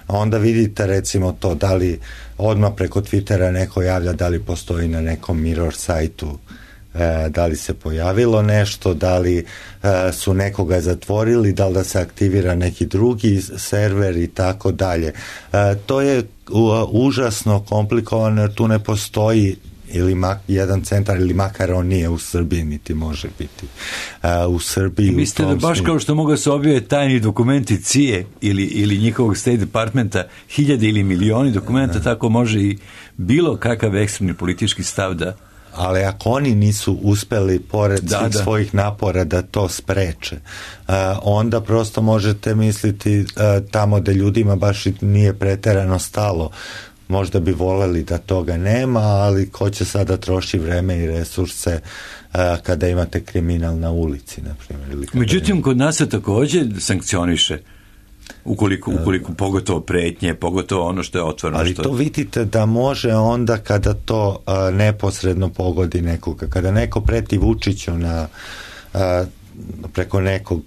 onda vidite recimo to da li odmah preko Twittera neko javlja da li postoji na nekom Mirror sajtu, da li se pojavilo nešto, da li su nekoga zatvorili, da li da se aktivira neki drugi server i tako dalje. To je užasno komplikovano jer tu ne postoji ili jedan centar ili makar on nije u Srbiji niti može biti u Srbiji. Mislite da baš kao što mogu se objave tajni dokumenti CIA ili njihovog State Departmenta, hiljade ili milioni dokumenta, tako može i bilo kakav ekstremni politički stav da... Ali ako oni nisu uspeli pored svih svojih napora da to spreče, onda prosto možete misliti tamo da ljudima baš nije preterano stalo. Možda bi voleli da toga nema, ali ko će sada troši vreme i resurse kada imate kriminal na ulici, na primjer. Međutim, kod nas se također sankcioniše ukoliko pogotovo pretnje, pogotovo ono što je otvoreno. Ali to vidite da može onda kada to neposredno pogodi nekoga. Kada neko preti Vučiću preko nekog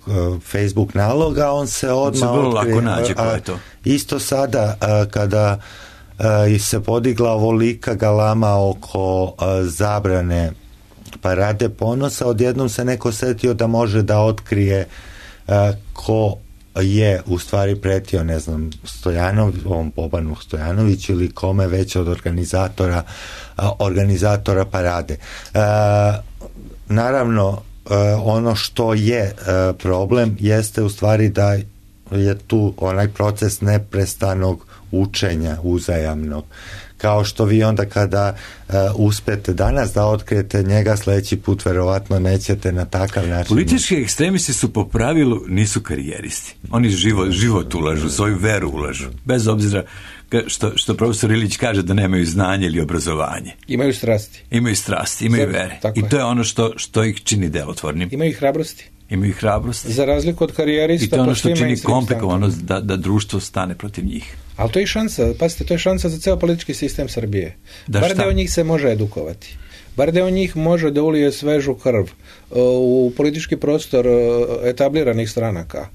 Facebook naloga, on se odmah vrlo lako nađe ko je to. Isto sada kada se podigla ovolika galama oko zabrane parade ponosa, odjednom se neko setio da može da otkrije ko je u stvari pretio, ne znam, ovom Bobanu Stojanoviću ili kome već od organizatora parade. Naravno, ono što je problem jeste u stvari da je tu onaj proces neprestanog učenja uzajamnog. Kao što vi onda kada uspete danas da otkrijete njega, sledeći put verovatno nećete na takav način. Politički ekstremisti su po pravilu nisu karijeristi. Oni život ulažu, svoju veru ulažu. Bez obzira što profesor Ilić kaže da nemaju znanje ili obrazovanje. Imaju strasti. Imaju vere. I to je ono što ih čini delotvornim. Imaju hrabrosti. Za razliku od karijerista. I to je ono što čini komplikovano da društvo stane protiv njih. Ali to je šansa, pazite, to je šansa za ceo politički sistem Srbije. Bar deo njih se može edukovati. Bar deo njih može da ulije svežu krv u politički prostor etabliranih stranaka.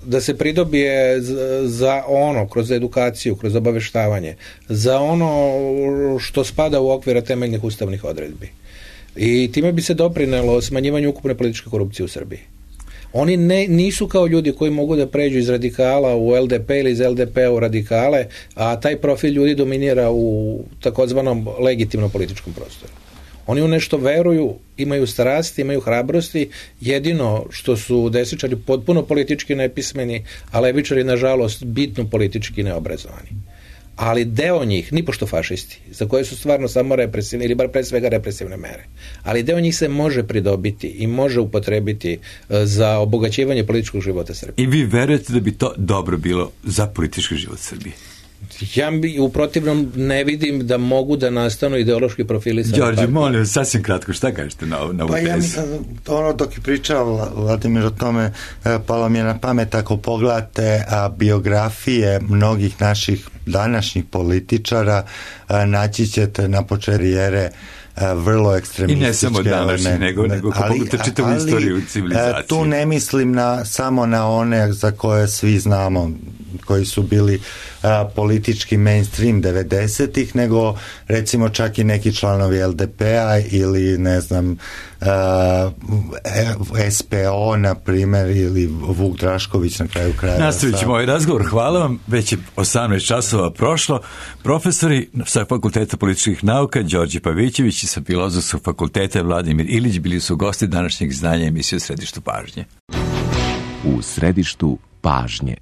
Da se pridobije za ono, kroz edukaciju, kroz obaveštavanje, za ono što spada u okvira temeljnih ustavnih odredbi. I time bi se doprinelo smanjivanju ukupne političke korupcije u Srbiji. Oni nisu kao ljudi koji mogu da pređu iz radikala u LDP ili iz LDP u radikale, a taj profil ljudi dominira u takozvanom legitimnom političkom prostoru. Oni u nešto veruju, imaju strasti, imaju hrabrosti, jedino što su desničari potpuno politički nepismeni, a levičari nažalost bitno politički neobrazovani. Ali deo njih, nipošto fašisti, za koje su stvarno samo represivne, ili bar pre svega represivne mere, ali deo njih se može pridobiti i može upotrebiti za obogaćivanje političkog života Srbije. I vi verujete da bi to dobro bilo za politički život Srbije? Ja u protivnom ne vidim da mogu da nastanu ideološki profili. Đorđe, molim, sasvim kratko, šta kažete na ovu tezu? Ja mislim, dok je pričao Vladimir o tome, palo mi je na pamet, ako pogledate biografije mnogih naših današnjih političara, naći ćete na početku karijere vrlo ekstremističke. I ne samo današnji, nego kako pogledate čitavu istoriju civilizacije. Tu ne mislim samo na one za koje svi znamo, koji su bili politički mainstream 90-ih, nego recimo čak i neki članovi LDP-a ili ne znam SPO na primjer ili Vuk Drašković na kraju kraja. Nastavit ćemo ovaj razgovor. Hvala vam. Već je 18 časova prošlo. Profesori sa Fakulteta političkih nauka Đorđe Pavićević i sa Filozofskog fakulteta Vladimir Ilić bili su gosti današnjeg izdanja emisije U središtu pažnje. U središtu pažnje.